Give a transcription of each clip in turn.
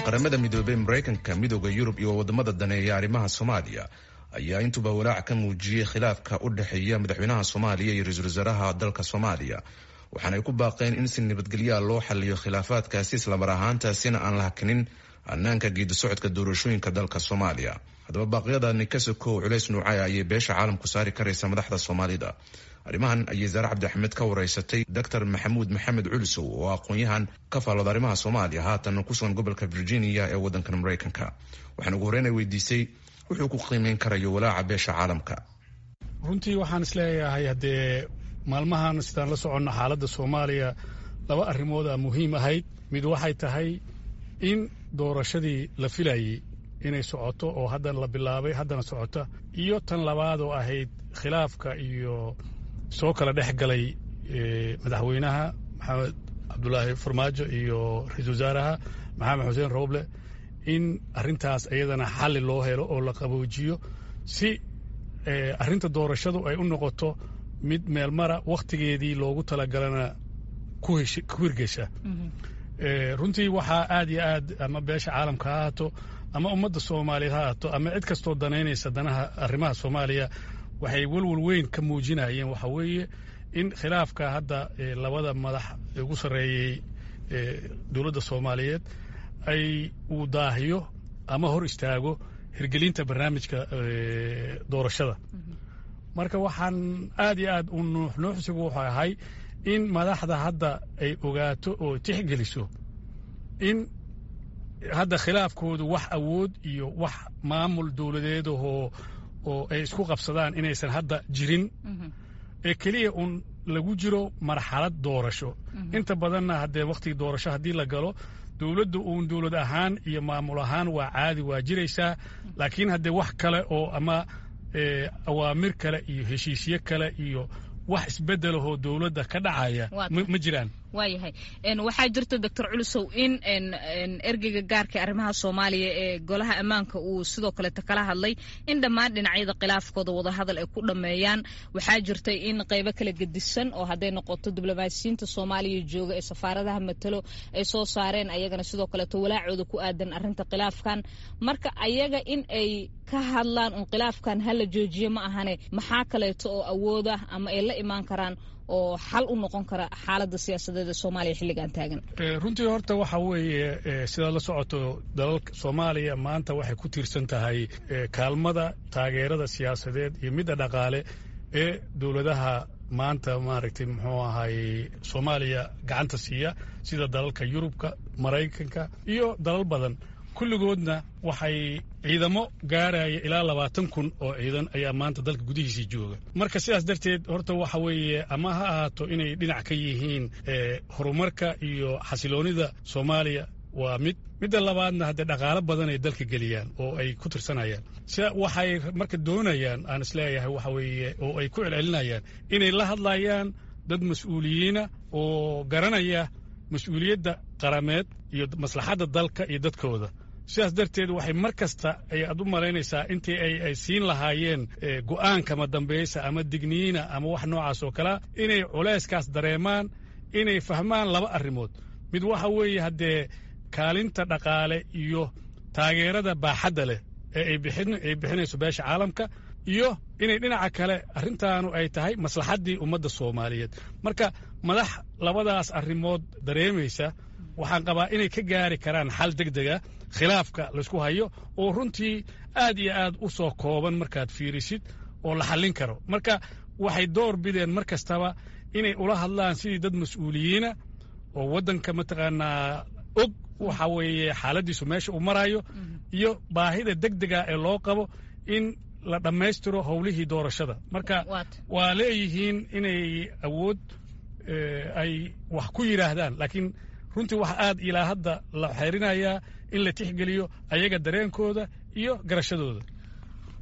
Qaramada Midoobey, Maraykanka, Midooda Yurub iyo wadamada daneeya arrimaha Soomaaliya ayaa intuba walaac ka muujiyey khilaafka u dhexeeya madaxweynaha Soomaaliya iyo ra-iisul wasaaraha dalka Soomaaliya, waxaana ay ku baaqeen in si nabadgelyaa loo xaliyo khilaafaadkaasi, islamar ahaantaasina aan la hakinin hanaanka geedi socodka doorashooyinka dalka Soomaaliya. Haddaba, baaqyadani ka sokow, culays nuucaya ayay beesha caalamku saari karaysa madaxda Soomaalida? Arrimahan ayay Saare Cabdi Axmed ka wareysatay Doctor Maxamuud Maxamed Culusow oo aqoon-yahan ka faallooda arrimaha Soomaaliya, haatan ku sugan gobolka Virginia ee wadankan Maraykanka. Waxaan ugu horreyn ay weydiisay wuxuu ku qiimeyn karayo walaaca beesha caalamka. Runtii waxaan isleeyahay, haddee maalmahan sidaan la soconno xaaladda Soomaaliya, laba arrimood a muhiim ahayd. Mid waxay tahay in doorashadii la filayey inay socoto oo haddana la bilaabay, haddana socota, iyo tan labaad oo ahayd khilaafka iyo soo kala dhex galay madaxweynaha Maxamed Cabdulaahi Farmaajo iyo ra-iisul wasaaraha Maxamed Xuseen Rooble, in arrintaas iyadana xalli loo helo oo la qaboojiyo si arrinta doorashadu ay u noqoto mid meelmara, wakhtigeedii loogu talagalana ku hirgesha. Runtii waxaa aad iyo aad, ama beesha caalamka ha ahaato ama ummadda Soomaaliyeed ha ahaato ama cid kastoo danaynaysa danaha arrimaha Soomaaliya, waxay welwel weyn ka muujinayeen waxa weeye in khilaafka hadda labada madax ugu sarreeyey dowladda Soomaaliyeed ay uu daahiyo ama hor istaago hirgelinta barnaamijka doorashada. Marka waxaan aad iyo aad u nuuxnuuxsigu wuxuu ahay in madaxda hadda ay ogaato oo tixgeliso in hadda khilaafkoodu wax awood iyo wax maamul dowladeedahoo oo ay isku qabsadaan inaysan hadda jirin, ee keliya uun lagu jiro marxalad doorasho. Inta badanna haddee wakhtigii doorasho haddii la galo, dowladda uun dowlad ahaan iyo maamul ahaan waa caadi, waa jiraysaa, laakiin haddee wax kale oo ama awaamir kale iyo heshiisyo kale iyo wax isbeddelahoo dowladda ka dhacaya ma jiraan. Waayahay, waxaa jirta, Doctor Culusow, in ergeyga gaarka arrimaha Soomaaliya ee Golaha Ammaanka uu sidoo kaleeta kala hadlay in dhammaan dhinacyada khilaafkooda wadahadal ay ku dhammeeyaan. Waxaa jirtay in qaybo kala gedisan oo hadday noqoto diblomaasiyiinta Soomaaliya jooga ee safaaradaha matalo ay soo saareen ayagana sidoo kaleeto walaacooda ku aadan arrinta khilaafkan. Marka ayaga in ay ka hadlaan un khilaafkan hala joojiyo ma ahane, maxaa kaleeto oo awooda ama ay la imaan karaan oo xal u noqon kara xaaladda siyaasadeed ee Soomaaliya xilligan taagan? Runtii horta waxa weeye, sidaad la socoto, dalalka Soomaaliya maanta waxay ku tiirsan tahay kaalmada taageerada siyaasadeed iyo midda dhaqaale ee dowladaha maanta, maaragtay, muxuu ahay, Soomaaliya gacanta siiya, sida dalalka Yurubka, Maraykanka iyo dalal badan. Kulligoodna waxay ciidamo gaaraya ilaa 20,000 oo ciidan ayaa maanta dalka gudihiisii jooga. Marka sidaas darteed horta waxa weeye, ama ha ahaato inay dhinac ka yihiin horumarka iyo xasiloonida Soomaaliya, waa mid. Midda labaadna haddee dhaqaalo badan ay dalka geliyaan oo ay ku tirsanayaan. Sida waxay marka doonayaan, aan isleeyahay waxa weeye, oo ay ku celcelinayaan inay la hadlayaan dad mas-uuliyiina oo garanaya mas-uuliyadda qarameed iyo maslaxadda dalka iyo dadkooda. Sidaas darteed waxay mar kasta ay aad u malaynaysaa intii ay siin lahaayeen go'aankama dambaysa ama digniina ama wax noocaas oo kalea, inay culayskaas dareemaan, inay fahmaan laba arrimood. Mid waxa weeye haddee kaalinta dhaqaale iyo taageerada baaxadda leh ee ay bixinayso beesha caalamka, iyo inay dhinaca kale arrintaanu ay tahay maslaxaddii ummadda Soomaaliyeed. Marka madax labadaas arrimood dareemaysa waxaan qabaa inay ka gaari karaan xal deg dega khilaafka laysku hayo, oo runtii aad iyo aad u soo kooban markaad fiirisid oo la xallin karo. Marka waxay door bideen mar kastaba inay ula hadlaan sidii dad mas-uuliyiina oo waddanka mataqaanaa og waxa weeye xaaladdiisu meesha uu marayo iyo baahida deg dega ee loo qabo in la dhammaystiro howlihii doorashada. Marka waa leeyihiin inay awood ay wax ku yidhaahdaan, laakiin runtii waxa aad ilaa hadda la xeerinayaa in la tixgeliyo ayaga dareenkooda iyo garashadooda.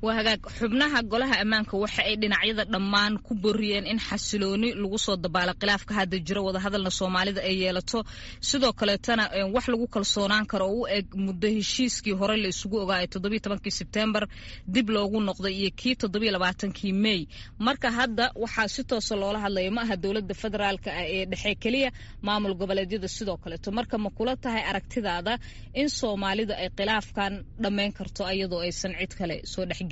Waa hagaag. Xubnaha golaha ammaanka waxa ay dhinacyada dhammaan ku boriyeen in xasilooni lagu soo dabaalo khilaafka hadda jiro, wadahadalna Soomaalida ay yeelato, sidoo kaleetana wax lagu kalsoonaan karo oo u eg muddo heshiiskii hore la isugu ogaa ee 17-kii Sebtembar dib loogu noqday iyo kii 27-kii May. Marka hadda waxaa si toosa loola hadlaya ma aha dowladda federaalka ah ee dhexe keliya, maamul goboleedyada sidoo kaleeto. Marka ma kula tahay aragtidaada in Soomaalida ay khilaafkan dhammayn karto iyadoo aysan cid kale soo dhexgelin?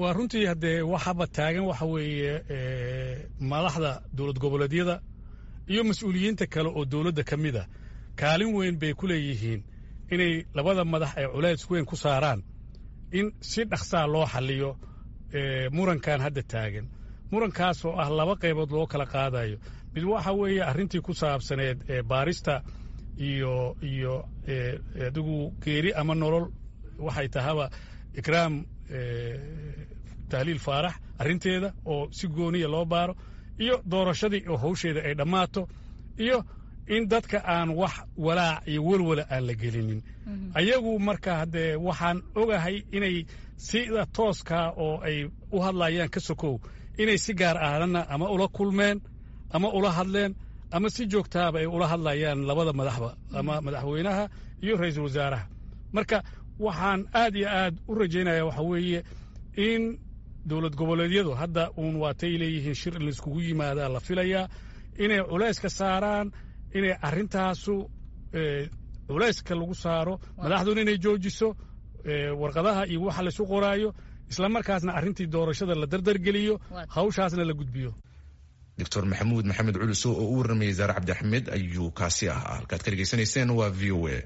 Waa runtii, haddee waxaba taagan waxa weeye madaxda dowlad goboleedyada iyo mas-uuliyiinta kale oo dowladda ka mid a kaalin weyn bay ku leeyihiin inay labada madax ay culays weyn ku saaraan in si dhaqsaa loo xalliyo murankan hadda taagan, murankaasoo ah laba qaybood loo kala qaadayo. Mid waxa weeye arrintii ku saabsaneed ee baarista iyo adigu geeri ama nolol waxay tahaba Ikraam Tahliil Faarax arrinteeda oo si gooniya loo baaro, iyo doorashadii oo hawsheeda ay dhammaato, iyo in dadka aan wax walaac iyo welwala aan la gelinin ayagu. Marka haddee waxaan ogahay inay sida tooskaa oo ay u hadlayaan ka sokow inay si gaar ahaanna ama ula kulmeen ama ula hadleen ama si joogtaaba ay ula hadlayaan labada madaxba, ama madaxweynaha iyo ra'iisul wasaaraha. Marka waxaan aad iyo aad u rajaynaya waxa weeye in dowlad goboleedyadu hadda uun waatay leeyihiin shir in laiskugu yimaadaa la filayaa, inay culayska saaraan, inay arrintaasu culayska lagu saaro madaxduna inay joojiso warqadaha iyo waxa laysu qoraayo, isla markaasna arrintii doorashada la dardargeliyo, hawshaasna la gudbiyo. Doctor Maxamuud Maxamed Culusow oo u warramayay Zaare Cabdixamed ayuu kaasi ahaa. Halkaad ka dhegeysanayseen waa VOA.